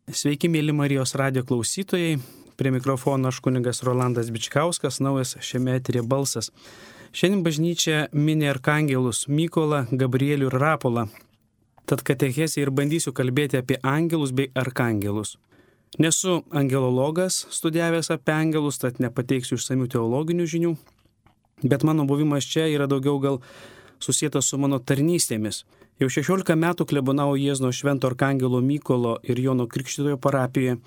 Sveiki, mėly Marijos radijo klausytojai. Prie mikrofono aš kunigas Rolandas Bičkauskas, naujas šiame eteryje balsas. Šiandien bažnyčia mini arkangelus Mykolą, Gabrielių ir Rapolą. Tad katechezėje ir bandysiu kalbėti apie angelus bei arkangelus. Nesu angelologas, studijavęs apie angelus, tad nepateiksiu išsamių teologinių žinių, bet mano buvimas čia yra daugiau gal susietas su mano tarnystėmis. Jau 16 metų klebonau Jiezno Švento arkangelo Mykolo ir Jono Krikštytojo parapijoje,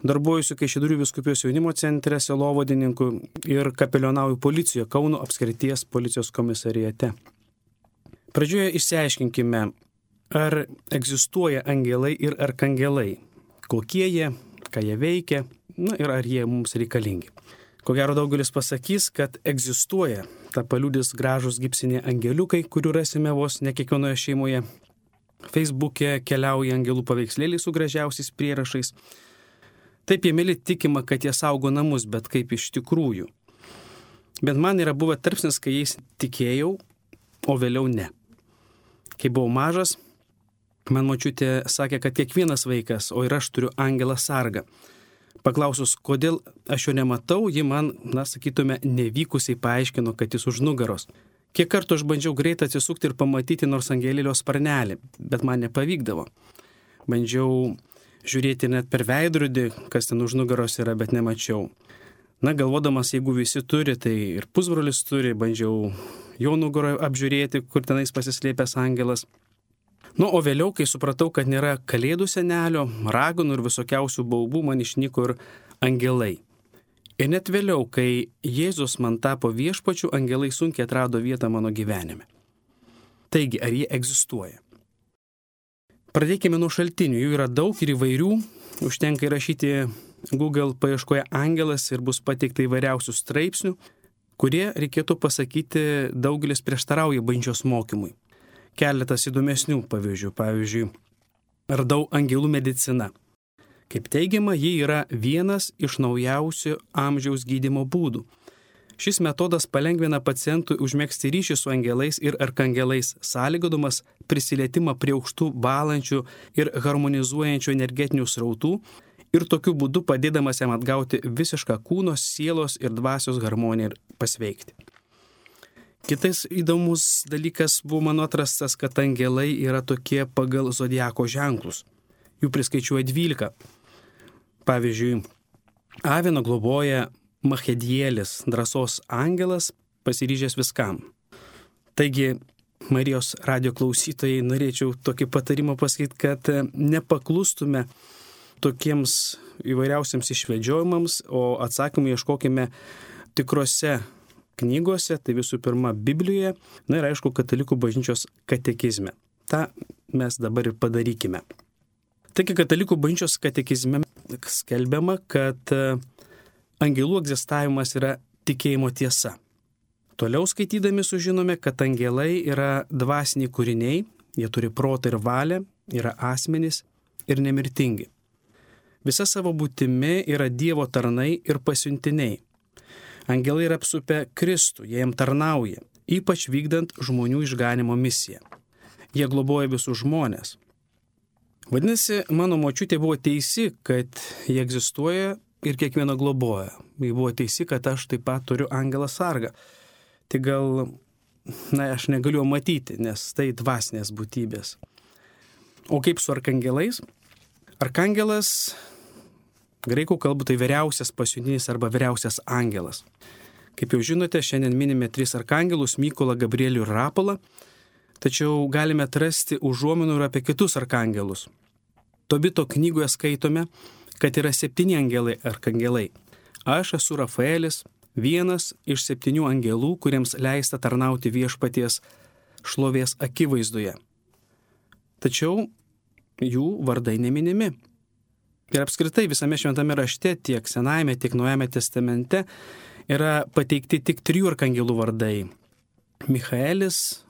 darbuojuosi Kaišiadorių vyskupijos jaunimo centre, sielovadininku ir kapelionauju policijoje Kauno apskrities policijos komisariate. Pradžioje išsiaiškinkime, ar egzistuoja angelai ir arkangelai, kokie jie, ką jie veikia, ir ar jie mums reikalingi. Ko gero daugelis pasakys, kad egzistuoja, ta paliudys gražus gipsiniai angeliukai, kurių rasime vos ne kiekvienoje šeimoje. Facebook'e keliauja angelų paveikslėliai su gražiausiais prierašais. Taip jie mėly tikima, kad jie saugo namus, bet kaip iš tikrųjų. Bet man yra buvę tarpsnis, kai jais tikėjau, o vėliau ne. Kai buvau mažas, man močiutė sakė, kad kiekvienas vaikas, o ir aš turiu angelą sargą. Paklausus, kodėl aš jo nematau, ji man, sakytume, nevykusiai paaiškino, kad jis už nugaros. Kiek kartų aš bandžiau greitai atsisukti ir pamatyti nors angelėlio sparnelį, bet man nepavykdavo. Bandžiau žiūrėti net per veidrodį, kas ten už nugaros yra, bet nemačiau. Galvodamas, jeigu visi turi, tai ir pusbrolis turi, bandžiau jo nugaroje apžiūrėti, kur tenais pasislėpęs angelas. O vėliau, kai supratau, kad nėra kalėdų senelio, raganų ir visokiausių baubų, man išnyko ir angelai. Ir net vėliau, kai Jėzus man tapo viešpačiu, angelai sunkiai atrado vietą mano gyvenime. Taigi, ar jie egzistuoja? Pradėkime nuo šaltinių, jų yra daug ir įvairių. Užtenka įrašyti Google paieškoje angelas ir bus pateikta įvairiausių straipsnių, kurie, reikėtų pasakyti, daugelis prieštarauja bažnyčios mokymui. Keletas įdomesnių pavyzdžių. Pavyzdžiui, radau angelų mediciną. Kaip teigiama, ji yra vienas iš naujausių amžiaus gydymo būdų. Šis metodas palengvina pacientui užmegzti ryšį su angelais ir arkangelais, sąlygodamas prisilietimą prie aukštų balančių ir harmonizuojančių energetinių srautų ir tokiu būdu padėdamas jam atgauti visišką kūno, sielos ir dvasios harmoniją ir pasveikti. Kitas įdomus dalykas buvo mano atrastas, kad angelai yra tokie pagal zodiako ženklus. Jų priskaičiuoja 12. Pavyzdžiui, Avino globoja Machedielis, drąsos angelas, pasiryžęs viskam. Taigi, Marijos radijo klausytojai, norėčiau tokį patarimą pasakyti, kad nepaklustume tokiems įvairiausiams išvedžiojimams, o atsakymų ieškokime tikrose knygose, tai visų pirma Biblijoje, ir aišku katalikų bažnyčios katekizme. Ta mes dabar ir padarykime. Taigi katalikų bažnyčios katekizme skelbiama, kad angelų egzistavimas yra tikėjimo tiesa. Toliau skaitydami sužinome, kad angelai yra dvasiniai kūriniai, jie turi protą ir valią, yra asmenys ir nemirtingi. Visa savo būtimi yra Dievo tarnai ir pasiuntiniai. Angelai yra apsupę Kristų, jie jam tarnauja, ypač vykdant žmonių išganimo misiją. Jie globoja visus žmonės. Vadinasi, mano močiutė buvo teisi, kad jie egzistuoja ir kiekvieno globoja. Jie buvo teisi, kad aš taip pat turiu angelą sargą. Tai gal, aš negaliu matyti, nes tai dvasinės būtybės. O kaip su arkangelais? Arkangelas, graikų kalbų tai vyriausias pasiuntinis arba vyriausias angelas. Kaip jau žinote, šiandien minime 3 arkangelus – Mykolą, Gabrielių ir Rapolą, tačiau galime atrasti užuominų ir apie kitus arkangelus. Tobito knygoje skaitome, kad yra 7 angelai arkangelai. Aš esu Rafaelis, vienas iš 7 angelų, kuriems leista tarnauti viešpaties šlovės akivaizdoje. Tačiau jų vardai neminimi. Ir apskritai visame šventame rašte, tiek Senajame, tiek Naujame testamente, yra pateikti tik 3 arkangelų vardai. Michaelis,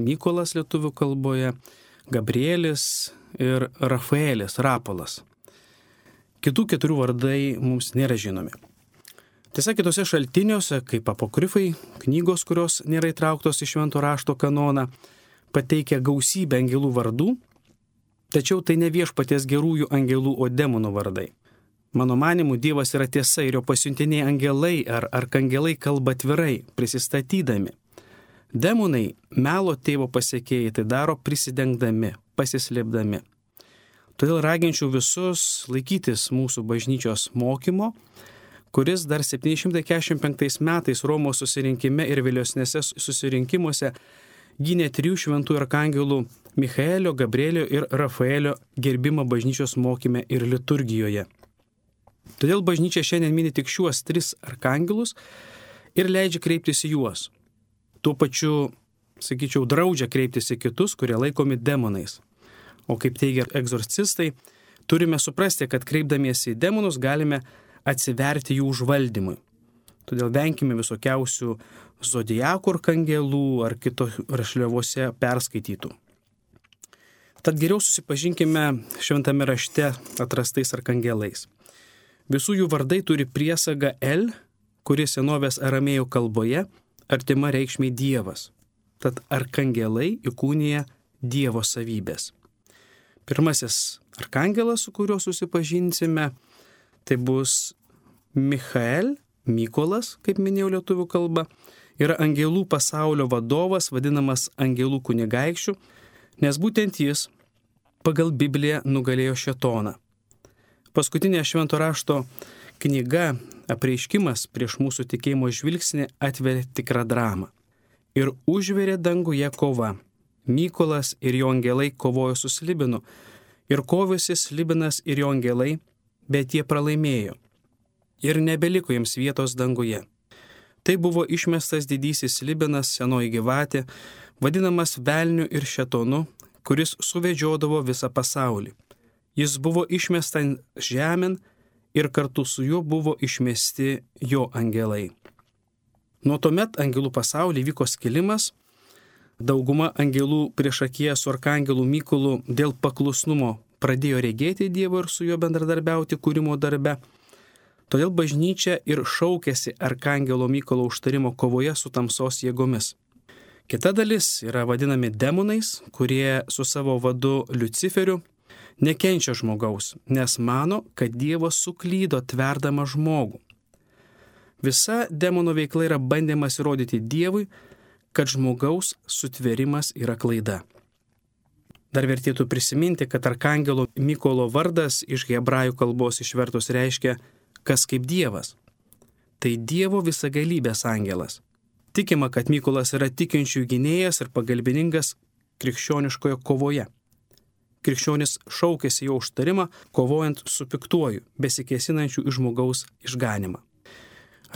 Mykolas lietuvių kalboje, Gabrielis ir Rafaelis, Rapolas. Kitų 4 vardai mums nėra žinomi. Tiesa, kitose šaltiniuose, kaip apokrifai, knygos, kurios nėra įtrauktos į švento rašto kanoną, pateikia gausybę angelų vardų, Tačiau tai ne viešpaties gerųjų angelų, o demonų vardai. Mano manimu, Dievas yra tiesa ir jo pasiuntiniai angelai ar arkangelai kalba atvirai, prisistatydami. Demonai, melo tėvo pasekėjai, tai daro prisidengdami, pasislėpdami. Todėl raginčiau visus laikytis mūsų bažnyčios mokymo, kuris dar 745 metais Romos susirinkime ir vėlesnėse susirinkimuose gynė 3 šventųjų arkangelų Michaelio, Gabrielio ir Rafaelio gerbimą bažnyčios mokyme ir liturgijoje. Todėl bažnyčia šiandien mini tik šiuos 3 arkangelus ir leidžia kreiptis į juos. Tuo pačiu, sakyčiau, draudžia kreiptis į kitus, kurie laikomi demonais. O kaip teigia egzorcistai, turime suprasti, kad kreipdamiesi į demonus galime atsiverti jų užvaldymui. Todėl venkime visokiausių zodiakų arkangelų ar kito rašliavose perskaitytų. Tad geriau susipažinkime šventame rašte atrastais arkangelais. Visų jų vardai turi priesagą El, kuri senovės aramėjų kalboje artima reikšmiai Dievas. Tad arkangelai įkūnija Dievo savybės. Pirmasis arkangelas, su kuriuo susipažinsime, tai bus Michael, Mykolas, kaip minėjau lietuvių kalba, yra angelų pasaulio vadovas, vadinamas angelų kunigaikščiu, nes būtent jis pagal Bibliją nugalėjo šėtoną. Paskutinė švento rašto knyga Apreiškimas prieš mūsų tikėjimo žvilgsnį atveria tikrą dramą. Ir užverė danguje kova. Mykolas ir jo angelai kovojo su Slibinu. Ir kovėsi Slibinas ir jo angelai, bet jie pralaimėjo. Ir nebeliko jiems vietos danguje. Tai buvo išmestas didysis Slibinas, senoji gyvatė, vadinamas velniu ir šėtonu, kuris suvedžiodavo visą pasaulį. Jis buvo išmestas žemėn ir kartu su juo buvo išmesti jo angelai. Nuo tuomet angelų pasaulyje vyko skilimas. Dauguma angelų priešakyje su arkangelų Mykolu dėl paklusnumo pradėjo regėti Dievą ir su juo bendradarbiauti kūrimo darbe. Todėl bažnyčia ir šaukėsi arkangelo Mykolo užtarimo kovoje su tamsos jėgomis. Kita dalis yra vadinami demonais, kurie su savo vadu Liuciferiu nekenčia žmogaus, nes mano, kad Dievas suklydo tverdama žmogų. Visa demono veikla yra bandymas įrodyti Dievui, kad žmogaus sutvėrimas yra klaida. Dar vertėtų prisiminti, kad arkangelo Mykolo vardas iš hebrajų kalbos išvertus reiškia kas kaip Dievas. Tai Dievo visagalybės angelas. Tikima, kad Mykolas yra tikinčių gynėjas ir pagalbininkas krikščioniškoje kovoje. Krikščionis šaukėsi jo užtarimą, kovojant su piktuoju, besikėsinančiu į žmogaus išganimą.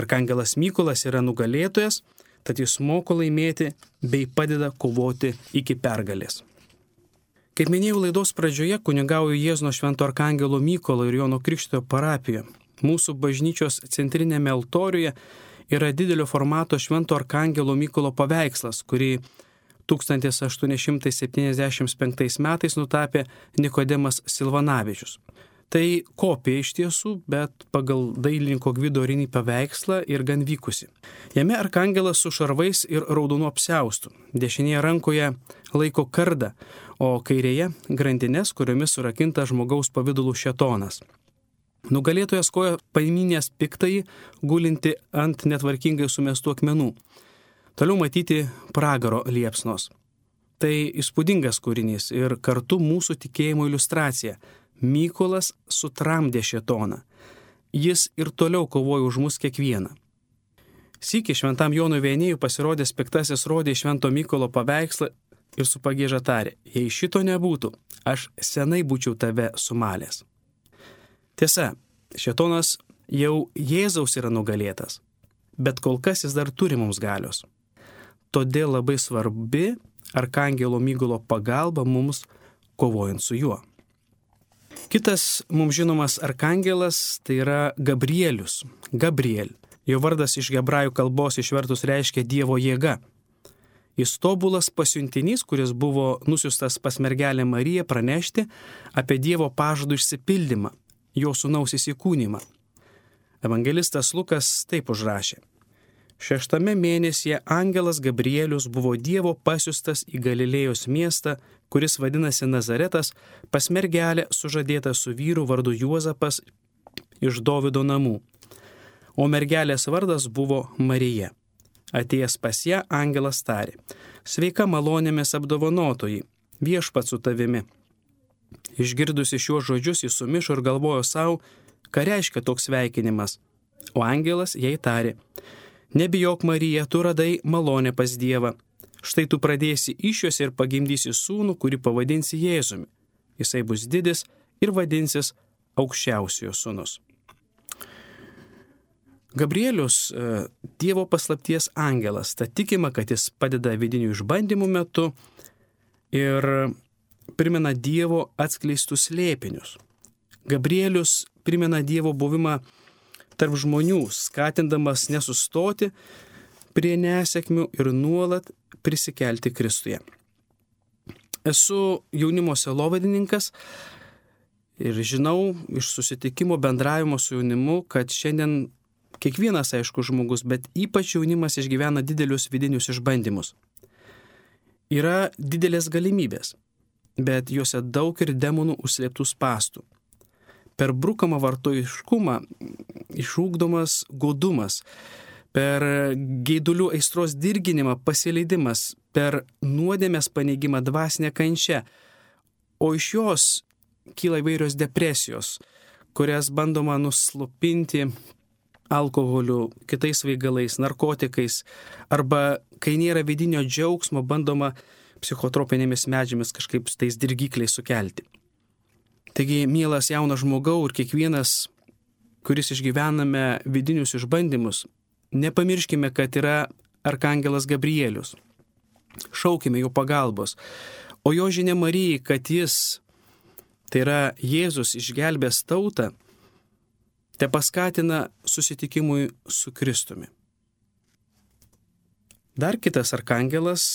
Arkangelas Mykolas yra nugalėtojas, tad jis moko laimėti bei padeda kovoti iki pergalės. Kaip minėjau laidos pradžioje, kunigauju Jėzuno švento arkangelo Mykolo ir Jono Krikštytojo parapijoje. Mūsų bažnyčios centrinėme altoriuje yra didelio formato švento arkangelo Mykolo paveikslas, kurį 1875 metais nutapė Nikodemas Silvanavičius. Tai kopija iš tiesų, bet pagal dailininko Gvido Rinį paveikslą ir gan vykusi. Jame arkangelas su šarvais ir raudonu apsiaustu. Dešinėje rankoje laiko kardą, o kairėje grandines, kuriomis surakinta žmogaus pavidalų šėtonas. Nugalėtojas koja paimynės piktąjį, gulinti ant netvarkingai sumestų akmenų. Toliau matyti pragaro liepsnos. Tai įspūdingas kūrinys ir kartu mūsų tikėjimo iliustracija. Mykolas sutramdė šėtoną. Jis ir toliau kovojo už mus kiekvieną. Sykį šventam Jonui Viannėjui pasirodęs piktasis rodė švento Mykolo paveikslą ir su pagieža tarė: jei šito nebūtų, aš senai būčiau tave sumalęs. Tiesa, šėtonas jau Jėzaus yra nugalėtas, bet kol kas jis dar turi mums galios. Todėl labai svarbi arkangelo Mykolo pagalba mums kovojant su juo. Kitas mums žinomas arkangelas tai yra Gabrielius. Gabriel. Jo vardas iš hebrajų kalbos išvertus reiškia Dievo jėga. Jis tobulas pasiuntinys, kuris buvo nusiustas pas mergelę Mariją pranešti apie Dievo pažadų išsipildymą, jo sūnaus įsikūnymą. Evangelistas Lukas taip užrašė: 6 mėnesyje angelas Gabrielius buvo Dievo pasiustas į Galilėjos miestą, kuris vadinasi Nazaretas, pas mergelę sužadėtą su vyru vardu Juozapas iš Dovydo namų. O mergelės vardas buvo Marija. Atėjęs pas ją, angelas tarė: Sveika malonėmis apdovanotoji, viešpats su tavimi. Išgirdusi šiuos žodžius, jis sumišo ir galvojo savo, ką reiškia toks sveikinimas. O angelas jai tarė: Nebijok, Marija, tu radai malonę pas Dievą. Štai tu pradėsi išjuosi ir pagimdysi sūnų, kurį pavadinsi Jėzumi. Jisai bus didis ir vadinsis Aukščiausiojo sūnus. Gabrielius Dievo paslapties angelas. Tad tikima, kad jis padeda vidinių išbandymų metu ir primena Dievo atskleistus slėpinius. Gabrielius primena Dievo buvimą tarp žmonių, skatindamas nesustoti prie nesėkmių ir nuolat prisikelti Kristuje. Esu jaunimo sielovadininkas ir žinau iš susitikimo bendravimo su jaunimu, kad šiandien kiekvienas, aišku, žmogus, bet ypač jaunimas išgyvena didelius vidinius išbandymus. Yra didelės galimybės, bet juose daug ir demonų užslėptų spąstų. Per brukamą vartojiškumą išūkdomas godumas, per geidulių aistros dirginimą pasileidimas, per nuodėmės paneigimą dvasinę kančią, o iš jos kyla įvairios depresijos, kurias bandoma nuslopinti alkoholiu, kitais svaigalais, narkotikais, arba kai nėra vidinio džiaugsmo, bandoma psichotropinėmis medžiamis kažkaip tais dirgikliais sukelti. Taigi, mielas jaunas žmogau ir kiekvienas, kuris išgyvename vidinius išbandymus, nepamirškime, kad yra arkangelas Gabrielius. Šaukime jo pagalbos. O jo žinia Marijai, kad jis, tai yra Jėzus, išgelbės tautą, te paskatina susitikimui su Kristumi. Dar kitas arkangelas,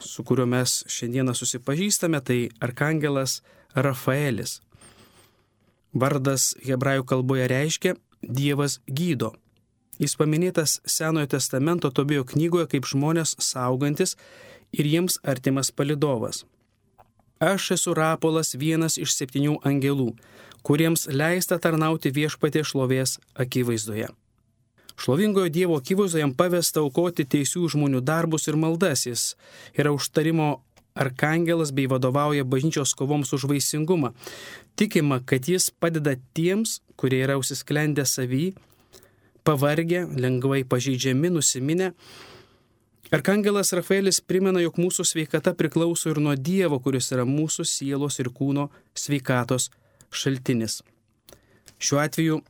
su kuriuo mes šiandieną susipažįstame, tai arkangelas Rafaelis. Vardas hebrajų kalboje reiškia Dievas gydo. Jis paminėtas Senojo testamento Tobėjo knygoje kaip žmonės saugantis ir jiems artimas palydovas. Aš esu Rapolas, vienas iš 7 angelų, kuriems leista tarnauti Viešpatie šlovės akivaizdoje. Šlovingojo Dievo akivaizdoje jam pavesta aukoti teisių žmonių darbus ir maldas. Jis yra užtarimo arkangelas bei vadovauja bažnyčios kovoms už vaisingumą. Tikima, kad jis padeda tiems, kurie yra užsisklendę savy, pavargę, lengvai pažeidžiami, nusiminę. Arkangelas Rafaelis primena, jog mūsų sveikata priklauso ir nuo Dievo, kuris yra mūsų sielos ir kūno sveikatos šaltinis. Šiuo atveju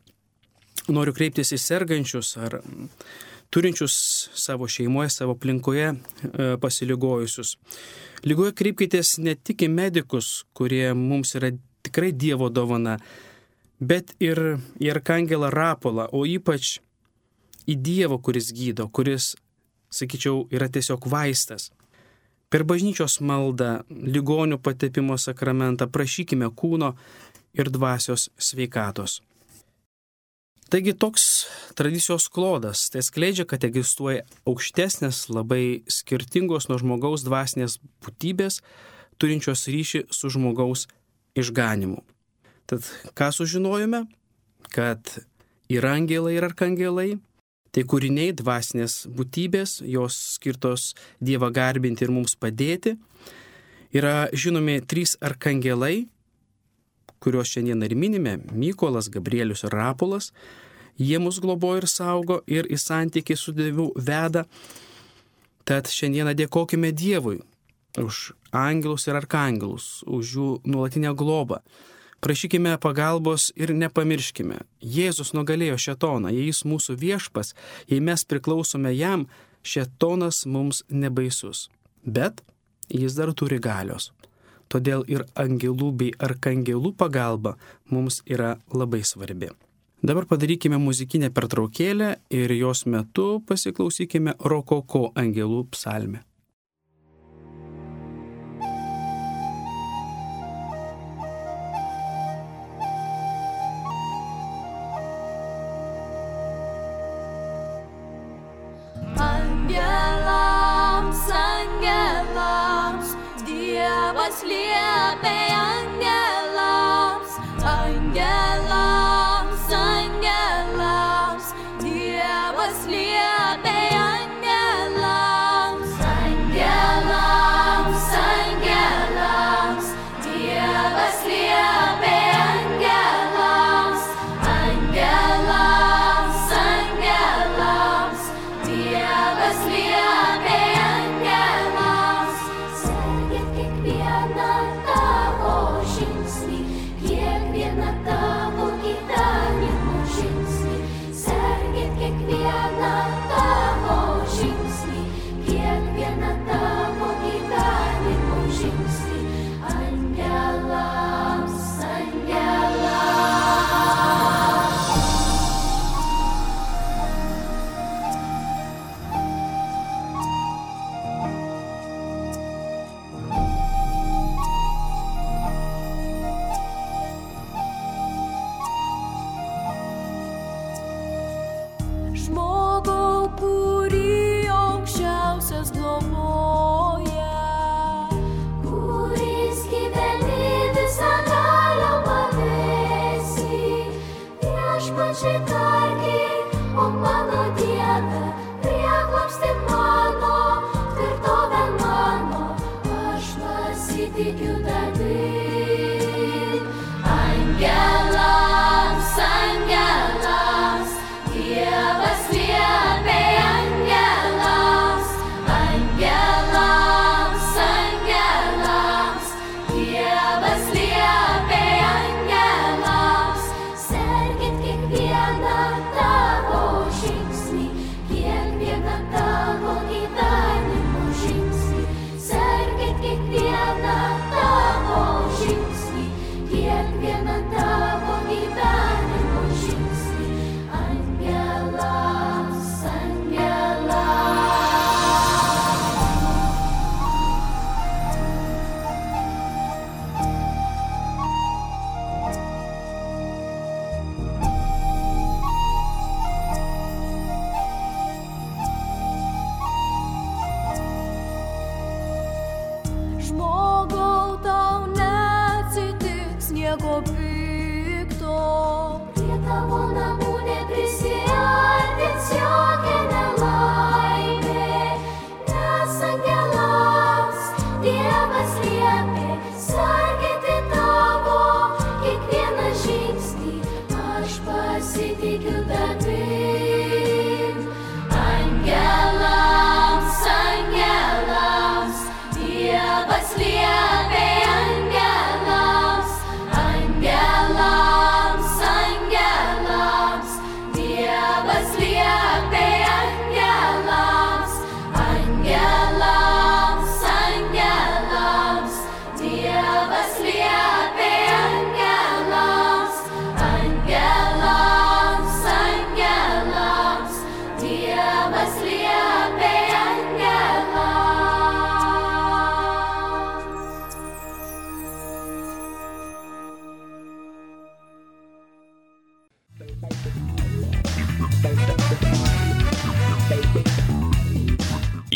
noriu kreiptis į sergančius ar turinčius savo šeimoje, savo aplinkoje pasiligojusius. Ligoje kreipkitės ne tik į medikus, kurie mums yra tikrai Dievo dovana, bet ir į arkangelą Rapolą, o ypač į Dievą, kuris gydo, kuris, sakyčiau, yra tiesiog vaistas. Per bažnyčios maldą, ligonių patepimo sakramentą prašykime kūno ir dvasios sveikatos. Taigi toks tradicijos klodas, tai skleidžia, kad egzistuoja aukštesnės, labai skirtingos nuo žmogaus dvasinės būtybės, turinčios ryšį su žmogaus išganimu. Tad ką sužinojome? Kad yra angelai ir arkangelai, tai kūriniai dvasinės būtybės, jos skirtos Dievą garbinti ir mums padėti. Yra žinomi 3 arkangelai, kuriuos šiandien ir minime, Mykolas, Gabrielius ir Rapolas. Jie mus globoja ir saugo ir į santykį su Dievu veda. Tad šiandieną dėkokime Dievui už angelus ir arkangelus, už jų nuolatinę globą. Prašykime pagalbos ir nepamirškime. Jėzus nugalėjo šėtoną, jei jis mūsų viešpas, jei mes priklausome jam, šėtonas mums nebaisus. Bet jis dar turi galios. Todėl ir angelų bei arkangelų pagalba mums yra labai svarbi. Dabar padarykime muzikinę pertraukėlę ir jos metu pasiklausykime Rokoko angelų psalmę.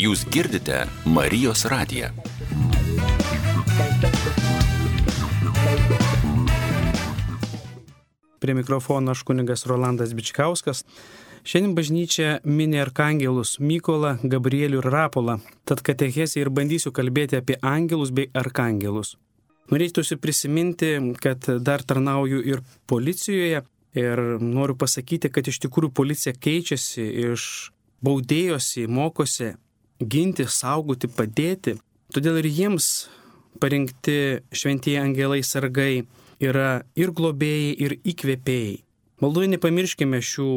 Jūs girdite Marijos radiją. Prie mikrofono aš kunigas Rolandas Bičkauskas. Šiandien bažnyčia mini arkangelus Mykolą, Gabrielių ir Rapolą. Tad katechezėje ir bandysiu kalbėti apie angelus bei arkangelus. Norėtųsi prisiminti, kad dar tarnauju ir policijoje ir noriu pasakyti, kad iš tikrųjų policija keičiasi iš baudėjos į mokosi ginti, saugoti, padėti. Todėl ir jiems parinkti šventieji angelai sargai yra ir globėjai, ir įkvėpėjai. Maldoje nepamirškime šių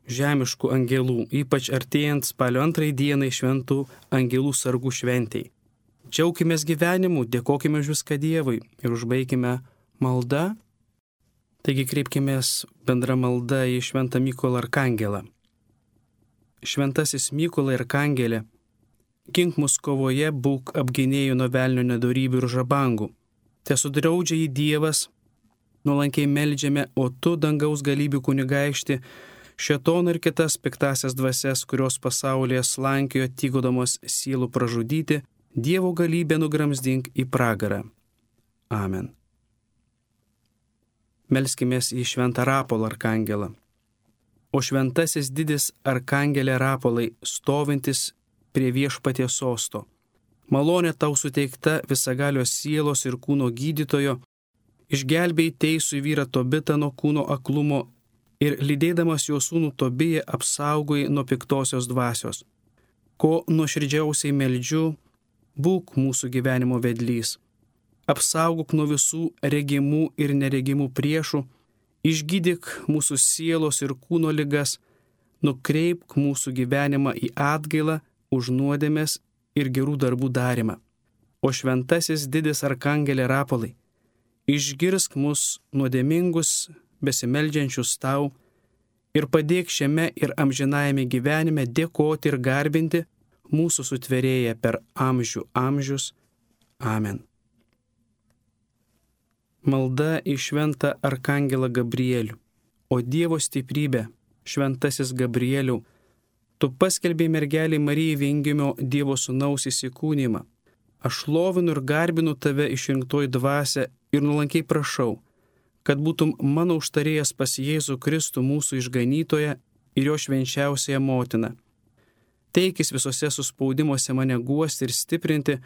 žemiškų angelų, ypač artėjant spalio 2 dienai šventų angelų sargų šventei. Džiaukimės gyvenimu, dėkokime už viską Dievui ir užbaikime maldą. Taigi kreipkimės bendra malda į šventą Mykolą arkangelą. Šventasis Mykolai arkangelė, gink mus kovoje, būk apginėjų nuo velnio nedorybių ir žabangų. Tesudraudžia jį Dievas, nuolankiai meldžiame, o tu, dangaus galybių kunigaikšti, šėtoną ir kitas piktasias dvasias, kurios pasaulyje slankiojo tygodamos sielų pražudyti, Dievo galybę nugramzdink į pragarą. Amen. Melskimės į šventą Rapolą arkangelą. O šventasis didis arkangelė Rapolai, stovintis prie viešpaties sosto. Malonė tau suteikta visagalios sielos ir kūno gydytojo, išgelbėjai teisų vyrą Tobitą nuo kūno aklumo ir lydėdamas jo sūnų Tobiją apsaugojai nuo piktosios dvasios. Ko nuoširdžiausiai meldžiu, būk mūsų gyvenimo vedlys. Apsaugok nuo visų regimų ir neregimų priešų, išgydyk mūsų sielos ir kūno ligas, nukreipk mūsų gyvenimą į atgailą už nuodėmes ir gerų darbų darymą. O šventasis didis arkangelė Rapolai, išgirsk mus nuodėmingus, besimeldžiančius tau ir padėk šiame ir amžinajame gyvenime dėkoti ir garbinti mūsų sutvėrėją per amžių amžius. Amen. Malda į šventą arkangelą Gabrielių. O Dievo stiprybė, šventasis Gabrieliau, tu paskelbėjai mergeliai Marijai viengimio Dievo sūnaus įsikūnymą. Aš lovinu ir garbinu tave išrinktoji dvasia ir nuolankiai prašau, kad būtum mano užtarėjas pas Jėzų Kristų mūsų išganytoją ir jo švenčiausiąją motiną. Teikis visose suspaudimuose mane guosti ir stiprinti,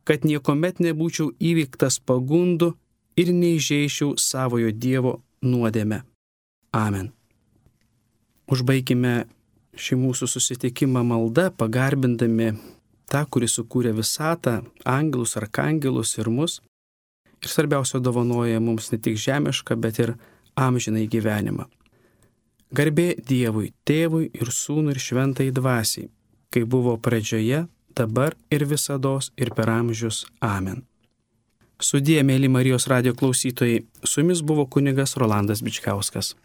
kad niekuomet nebūčiau įvyktas pagundų ir neįžeičiau savojo Dievo nuodėmę. Amen. Užbaikime šį mūsų susitikimą maldą, pagarbindami tą, kuris sukūrė visatą, angelus, arkangelus ir mus. Ir svarbiausia, dovanoja mums ne tik žemišką, bet ir amžinai gyvenimą. Garbė Dievui, Tėvui ir Sūnui ir Šventai Dvasiai, kai buvo pradžioje, dabar ir visados ir per amžius. Amen. Sudie, mėly Marijos radijo klausytojai, su jumis buvo kunigas Rolandas Bičkauskas.